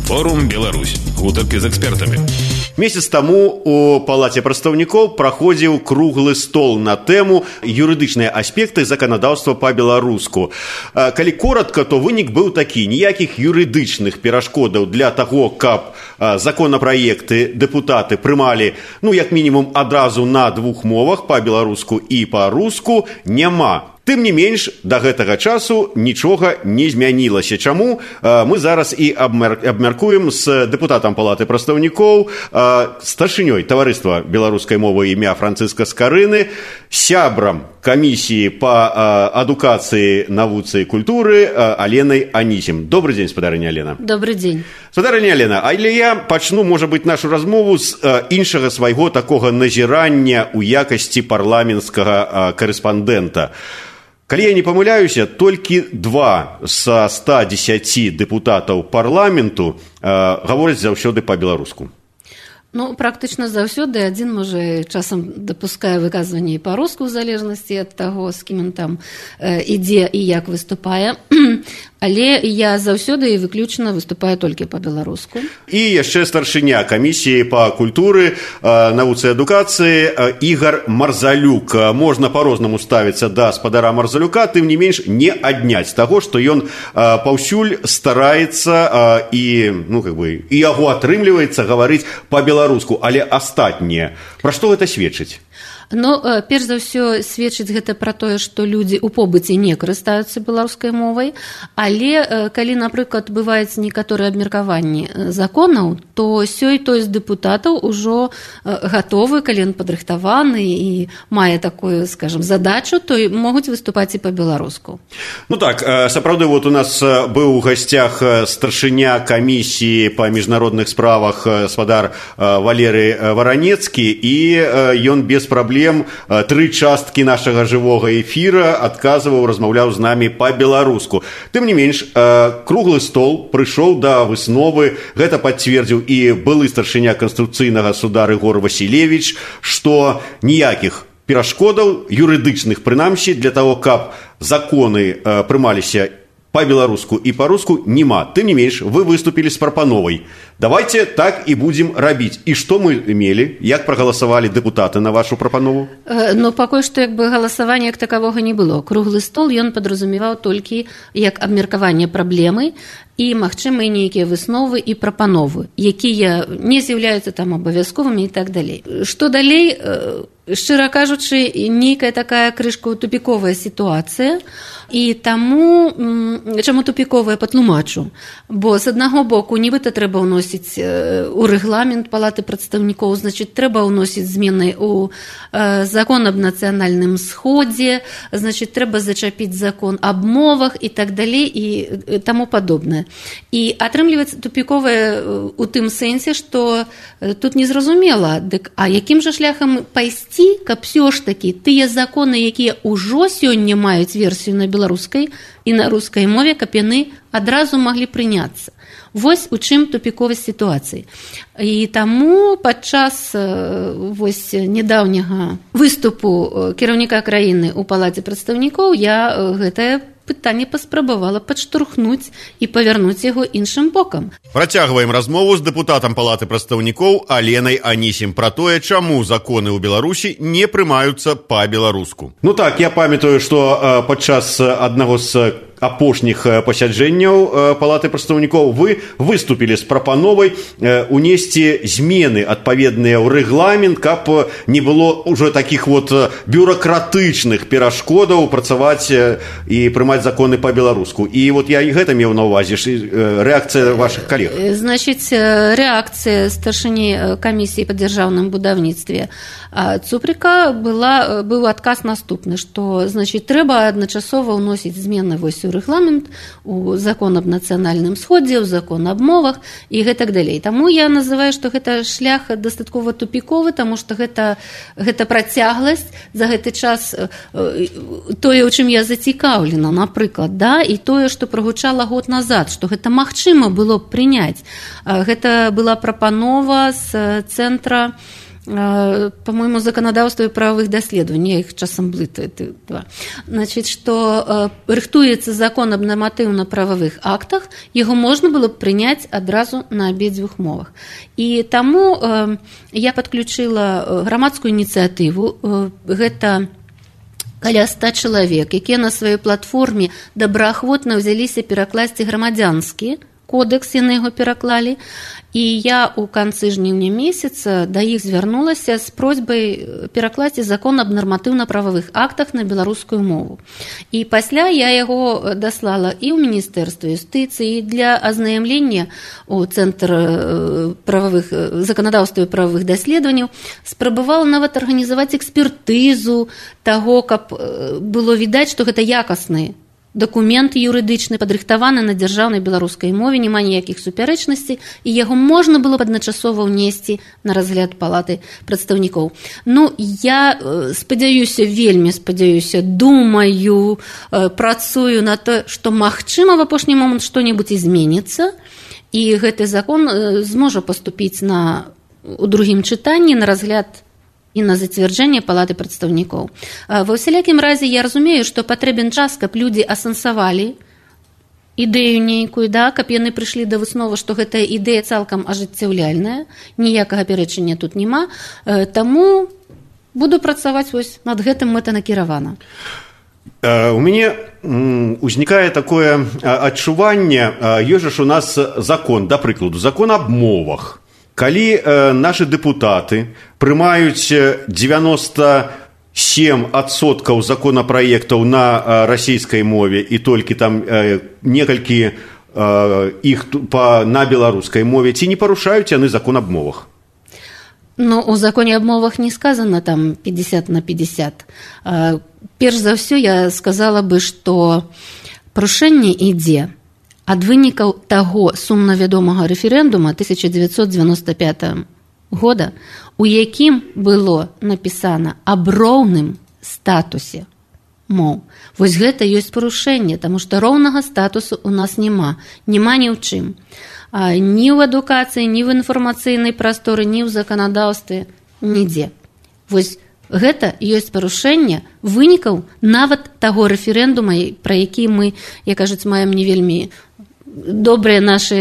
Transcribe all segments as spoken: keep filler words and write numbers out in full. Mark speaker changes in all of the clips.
Speaker 1: Форум Беларусь. Гутарки з экспертамі.
Speaker 2: Месяц таму у Палаце прадстаўнікоў праходзіў круглы стол на тэму юрыдычныя аспекты заканадаўства па-беларуску. Калі коротка, то вынік быў такі: ніякіх юрыдычных перашкодаў для таго, каб законапраекты дэпутаты прымалі, ну, як мінімум, адразу на двух мовах, па-беларуску і па-руску, няма. Тым не менш, да гэтага часу нічога не змянілася. Чаму? Мы зараз і абмяркуем з дэпутатам Палаты прадстаўнікоў, старшынёй таварыства беларускай мовы імя Францыска Скарыны, сябрам камісіі па адукацыі, навуцы і культуры Аленай Анісім. Добрый дзень, спадарыня Алена.
Speaker 3: Добрый дзень.
Speaker 2: Спадарыня Алена, але я пачну, можа быць, нашу размову з іншага свайго такога назірання ў якасці парламенцкага карэспандэнта. Калі я не памыляюся, толькі два са ста дзесяці дэпутатаў парламенту э, гавораць заўсёды па-беларуску.
Speaker 3: Ну, практычна заўсёды. Адзін, можа, часам дапускае выказванне і па-руску, у залежнасці ад таго, з кім ён там э, ідзе і як выступае. Але я заўсёды і выключна выступаю толькі па-беларуску.
Speaker 2: І яшчэ старшыня камісіі па культуры, навуцы і адукацыі Ігар Марзалюк. Можна па-рознаму ставіцца да спадара Марзалюка, тым не менш не адняць таго, што ён паўсюль стараецца і, ну, как бы, і яго атрымліваецца гаварыць па-беларуску. Але астатнія, пра што гэта сведчыць?
Speaker 3: Ну, перш за ўсё, сведчыць гэта пра тое, што людзі ў побыце не карыстаюцца беларускай мовай, але калі, напрыклад, бываюць некаторыя абмеркаванні законаў, то сёй той з дэпутатаў ужо гатовы, калі ён падрыхтаваны і мае такую, скажам, задачу, то могуць выступаць і па-беларуску.
Speaker 2: Ну так, сапраўды, вот у нас быў у гасцях старшыня камісіі па міжнародных справах спадар Валерый Варанецкі, і ён без праблем тры часткі нашага жывога эфіра адказваў, размаўляў з намі па-беларуску. Тым не менш, круглы стол прыйшоў да высновы, гэта пацвердзіў і былы старшыня Канстытуцыйнага суда Рыгор Васілевіч, што ніякіх перашкодаў юрыдычных, прынамсі, для таго, каб законы прымаліся па-беларуску і па-руску, няма. Тым не менш, вы выступілі з прапановай. Давайте так і будзем рабіць. І што мы мелі? Як прагаласавалі дэпутаты на вашу прапанову?
Speaker 3: Э, ну, пакуль што, як бы, галасавання як такавога не было. Круглы стол ён падразумеваў толькі як абмеркаванне праблемы і, магчыма, і нейкія высновы і прапановы, якія не з'яўляюцца там абавязковымі і так далей. Што далей? Э, шчыра кажучы, нейкая такая крышка тупіковая сітуацыя, і таму, чаму тупіковая, патлумачу. Бо з аднаго боку, нібыта трэба ўносіць у рэгламент Палаты прадстаўнікоў, значыць, трэба ўносіць змены ў закон аб нацыянальным сходзе, значыць, трэба зачапіць закон аб мовах і так далей і таму падобнае. І атрымліваецца тупіковая у тым сэнсе, што тут незразумела, дык, а якім жа шляхам пайсці, каб ўсё ж такі тыя законы, якія ўжо сёння маюць версію на беларускай і на рускай мове, каб яны адразу маглі прыняцца. Вось у чым тупіковасць сітуацыі. І таму падчас вось нядаўняга выступу кіраўніка краіны ў Палаце прадстаўнікоў я гэтае пытанне паспрабавала падштурхнуць і павярнуць яго іншым бокам.
Speaker 2: Працягваем размову з дэпутатам Палаты прадстаўнікоў Аленай Анісім пра тое, чаму законы ў Беларусі не прымаюцца па-беларуску. Ну так, я памятаю, што падчас аднаго з апошніх пасяджэнняў Палаты прадстаўнікоў вы выступілі з прапановай унесці змены адпаведныя ў рэгламент, каб не было ўжо такіх вот бюракратычных перашкодаў працаваць і прымаць законы па-беларуску. І вот я і гэта меў на ўвазе, рэакцыя вашых калег.
Speaker 3: Значыць, рэакцыя старшыні камісіі па дзяржаўным будаўніцтве Цуприка была, быў адказ наступны, што, значыць, трэба адначасова ўносіць змены вось у рэгламент, у закон аб нацыянальным сходзе, у закон аб мовах і гэтак далей. Таму я называю, што гэта шлях дастаткова тупіковы, таму што гэта, гэта працягласць за гэты час, тое, у чым я зацікаўлена, напрыклад, да, і тое, што прагучала год назад, што гэта магчыма было б прыняць. Гэта была прапанова з цэнтра по-моему, законодаўства і правовых даследаванняў, я іх часам блытаю, значит, што рыхтуецца закон аб нарматыўна-прававых актах, яго можна было б прыняць адразу на абедзвюх мовах. І таму я падключыла грамадскую ініцыятыву, гэта каля ста чалавек, якія на сваёй платформе добраахвотна ўзяліся перакласці грамадзянскі кодекс, яны яго пераклалі, і я ў канцы жніўня месяца да іх звярнулася з просьбай перакласці закон аб нарматыўна-прававых актах на беларускую мову. І пасля я яго даслала і ў Міністэрства юстыцыі для азнаямлення у Цэнтр прававых заканадаўства і прававых даследаванняў, спрабавала нават арганізаваць экспертызу таго, каб было відаць, што гэта якасныя документ юрыдычны, падрыхтаваны на дзяржаўнай беларускай мове, няма ніякіх супярэчнасцей, і яго можна было б адначасова ўнесці на разгляд палаты прадстаўнікоў. Ну, я спадзяюся, вельмі спадзяюся, думаю, працую на то, што магчыма в апошні момант што-небудзь зменіцца, і гэты закон зможа паступіць на, у другім чытанні на разгляд і на зацвярджэнне палаты прадстаўнікоў. Ва ўсялякім разе я разумею, што патрэбен час, каб людзі асэнсавалі ідэю нейкую, да, каб яны прыйшлі да высновы, што гэтая ідэя цалкам ажыццяўляльная, ніякага пярэчання тут няма, таму буду працаваць вось над гэтым мэтанакіравана.
Speaker 2: У мяне узнікае такое адчуванне, ёсць ж у нас закон, да прыкладу, закон аб мовах. Калі э, нашы дэпутаты прымаюць дзевяносто семь адсоткаў законапраектаў на э, расійскай мове і толькі там э, некалькі э, іх па, на беларускай мове, ці не парушаюць яны закон аб мовах?
Speaker 3: Ну, у законе аб мовах не сказано там пятьдесят на пятьдесят. Э, перш за ўсё я сказала бы, што парушэнне ідзе ад вынікаў таго сумна вядомага рэферэндума тысяча дзевяцьсот дзевяносто пятого года, у якім было напісана аб роўным статусе моў. Вось гэта ёсць парушэнне, таму што роўнага статусу у нас няма, няма ні ў чым. Ні ў адукацыі, ні в інфармацыйнай прасторы, ні ў заканадаўстве, нідзе. Вось гэта ёсць парушэнне вынікаў нават таго рэферэндума, пра які мы, як кажуць, маем не вельмі добрыя нашы,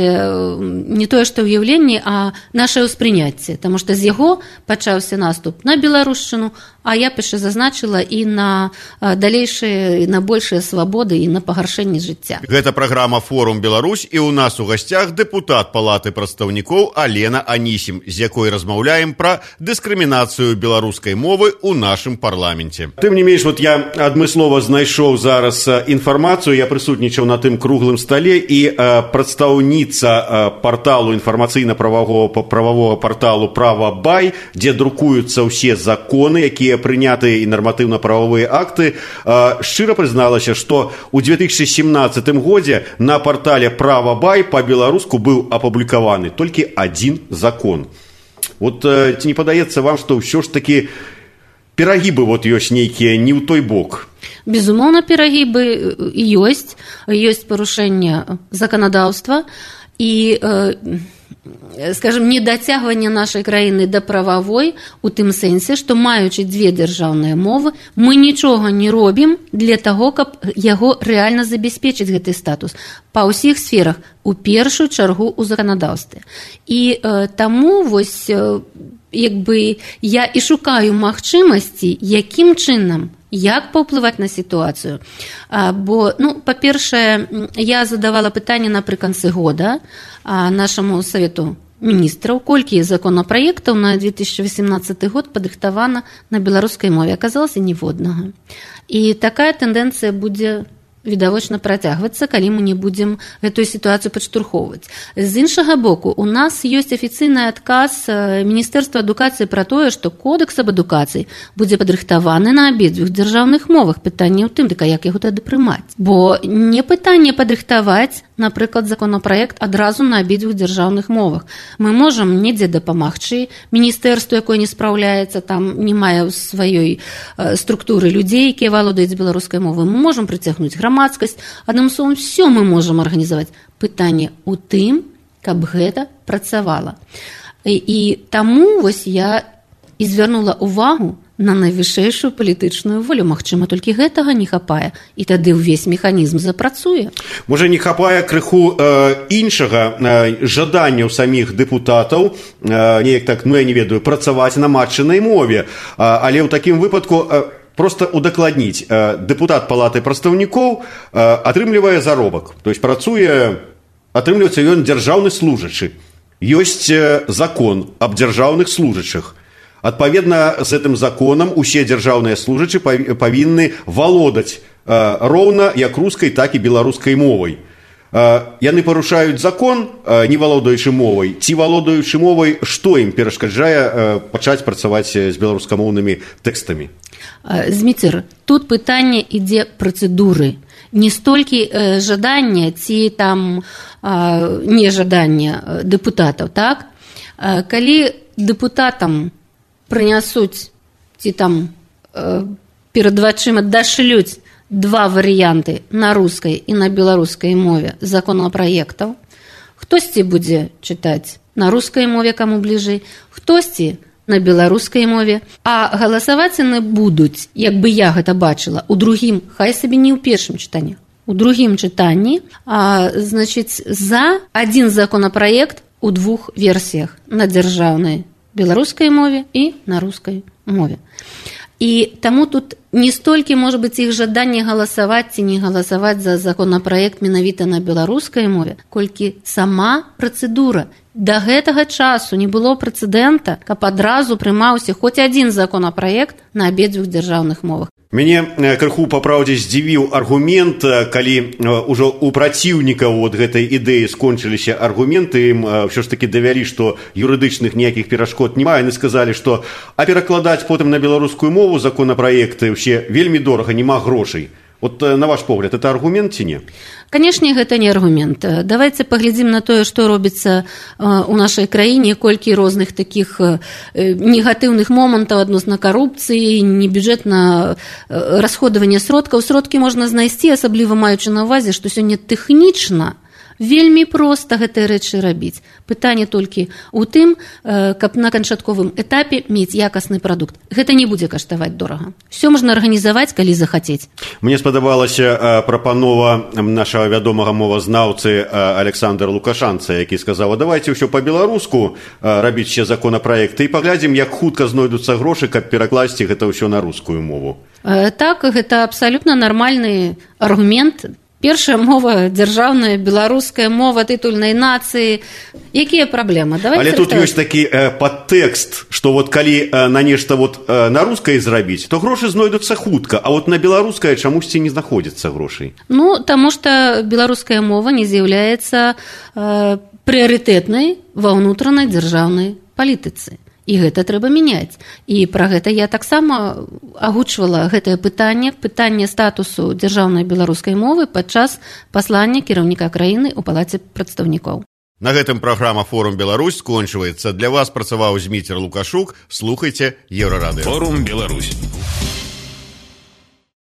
Speaker 3: не тое што ўяўленні, а наше ўспрыняцце, таму што з яго пачаўся наступ на беларушчыну, а я яшчэ зазначыла і на далейшыя, на большыя свабоды і на пагаршэнне жыцця.
Speaker 2: Гэта праграма «Форум Беларусь», і ў нас у гасцях дэпутат палаты прадстаўнікоў Алена Анісім, з якой размаўляем пра дыскрымінацыю беларускай мовы ў нашым парламенце. Тым не менш, вот я адмыслова знайшоў зараз інфармацыю, я прысутнічаў на тым круглым стале, і прадстаўніца парталу інфармацыйна-прававога прававога парталу «Правабай», дзе друкуюцца ўсе законы, якія прынятыя і нарматыўна-прававыя акты, шчыра прызналася, што ў две тысячи семнадцатым годзе на партале «Правабай» па-беларуску быў апублікаваны толькі адзін закон. Вот ці не падаецца вам, што ўсё ж такі перагібы вот ёсць нейкія не ў той бок?
Speaker 3: Безумоўна, перагібы ёсць, ёсць парушэнне заканадаўства і, скажем, недацягванне нашай краіны да прававой у тым сэнсе, што маючы дзве дзяржаўныя мовы, мы нічога не робім для таго, каб яго рэальна забяспечыць гэты статус па ўсіх сферах, у першую чаргу ў заканадаўстве. І э, таму вось э, як бы я і шукаю магчымасці, якім чынам, як паўплываць на сітуацыю. А, бо, ну, па-першае, я задавала пытанне напрыканцы года а, нашаму Савету міністраў, колькі законапраектаў на две тысячи восемнадцаты год падрыхтавана на беларускай мове. Аказалася ніводнага. І такая тэндэнцыя будзе відавочна працягвацца, калі мы не будзем гэтую сітуацыю падштурхоўваць. З іншага боку, у нас ёсць афіцыйны адказ Міністэрства адукацыі пра тое, што кодекс аб адукацыі будзе падрыхтаваны на абедзвюх дзяржаўных мовах. Пытанне ў тым, дык як яго тады прымаць? Бо не пытанне падрыхтаваць, напрыклад, законапраект адразу на абедзвюх дзяржаўных мовах. Мы можам недзе дапамагчы міністэрству, якое не спраўляецца, там не мае сваёй структуры людзей, якія валодаюць беларускай мовай. Мы можам прыцягнуць грамадскасць. Адным словам, все мы можам арганізаваць. Пытанне ў тым, каб гэта працавала. І, і таму вось я і звярнула ўвагу на найвышэйшую палітычную волю. Магчыма, толькі гэтага не хапае, і тады ўвесь механізм запрацуе.
Speaker 2: Можа, не хапае крыху э, іншага э, жадання ў саміх дэпутатаў, э, неяк так, ну я не ведаю, працаваць на матчынай мове, э, але ў такім выпадку э, просто удакладніць. Э, дэпутат палаты прадстаўнікоў э, атрымлівае заробак, то есть працуе, атрымліваецца ён дзяржаўны служачы. Ёсць э, закон аб дзяржаўных служачых. Адпаведна з гэтым законам усе дзяржаўныя служачы павінны валодаць э, роўна як рускай, так і беларускай мовай. Э, яны парушаюць закон, э, не валодаючы мовай, ці валодаючы мовай, што ім перашкаджае э, пачаць працаваць з беларускамоўнымі тэкстамі?
Speaker 3: Зміцер, тут пытанне ідзе працэдуры. Не столькі э, жадання ці там э, нежадання дэпутатаў, так? Э, калі дэпутатам прынясуць ці там э, перад вачыма дашлюць два варыянты на рускай і на беларускай мове законапраектаў, хтосьці будзе чытаць на рускай мове, каму бліжэй, хтосьці на беларускай мове, а галасаваць яны будуць, як бы я гэта бачыла, у другім, хай сабе не ў першым чытанні, у другім чытанні, а, значыць, за адзін законапраект у двух версіях на дзяржаўнай беларускай мове і на рускай мове. І таму тут не столькі, можа быць, іх жаданне галасаваць ці не галасаваць за законапраект менавіта на беларускай мове, колькі сама працэдура. Да гэтага часу не было прэцэдэнта, каб адразу прымаўся хоць адзін законапраект на абедзвюх дзяржаўных мовах.
Speaker 2: Мяне крыху па праўдзе здзівіў аргумент, калі ўжо у праціўнікаў от гэтай ідэі скончыліся аргументы, ім ўсё ж такі давялі, што юрыдычных ніякіх перашкод няма, яны сказалі, што а перакладаць потым на беларускую мову законапраекты ўсе вельмі дорага, няма грошай. Вот на ваш погляд, это аргумент ці не?
Speaker 3: Канешне, гэта не аргумент. Давайце паглядзім на тое, што робіцца ў нашай краіне, колькі розных такіх негатыўных момантаў адносна карупцыі, небюджэтна расходавання сродкаў. Сродкі можна знайсці, асабліва маючы на ўвазе, што сёння тэхнічна вельмі проста гэтыя рэчы рабіць. Пытанне толькі ў тым, каб на канчатковым этапе мець якасны прадукт. Гэта не будзе каштаваць дорага. Все можна арганізаваць, калі захацець.
Speaker 2: Мне спадабалася прапанова нашага вядомага мовазнаўцы Александра Лукашанца, які сказаў: а давайте ўсё па-беларуску рабіць ще законапраекты і паглядзім, як хутка знойдуцца грошы, каб перакласці гэта ўсё на рускую мову.
Speaker 3: Так, гэта абсалютна нармальны аргумент. Першая мова дзяржаўная, беларуская мова тытульнай нацыі. Якія праблемы? Давайте
Speaker 2: Але тут ёсць такі э, падтэкст, што вот калі э, на нешта вот, э, на рускай зрабіць, то грошы знойдуцца хутка, а вот на беларускай чамусьці не знаходзіцца грошай.
Speaker 3: Ну, таму што беларуская мова не з'яўляецца э, прыярытэтнай ва ўнутранай дзяржаўнай палітыцы. І гэта трэба мяняць. І пра гэта я таксама агучвала гэтае пытанне, пытанне статусу дзяржаўнай беларускай мовы падчас паслання кіраўніка краіны ў палаце прадстаўнікоў.
Speaker 2: На гэтым праграма «Форум Беларусь» скончваецца. Для вас працаваў Зміцер Лукашук. Слухайце Еўрарадыё.
Speaker 1: Форум Беларусь.